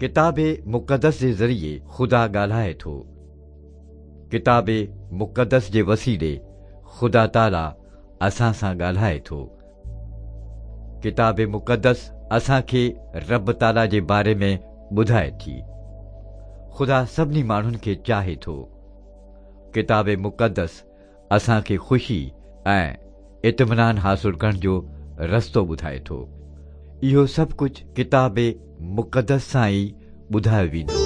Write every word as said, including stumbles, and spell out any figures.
ڪتاب مقدس جي ذريعي خدا ڳالهائي ٿو. ڪتاب مقدس جي وسيلي خدا تعاليٰ اسان سان ڳالهائي ٿو. ڪتاب مقدس اسان کي رب تعاليٰ جي باري ۾ ٻڌائي ٿي. خدا سڀني ماڻهن کي چاهي ٿو. ڪتاب مقدس اسان کي خوشي ۽ اطمينان حاصل ڪرڻ جو رستو ٻڌائي ٿو. اهو سڀ ڪجهه ڪتاب مقدس سان ئي ٻڌايو ويندو.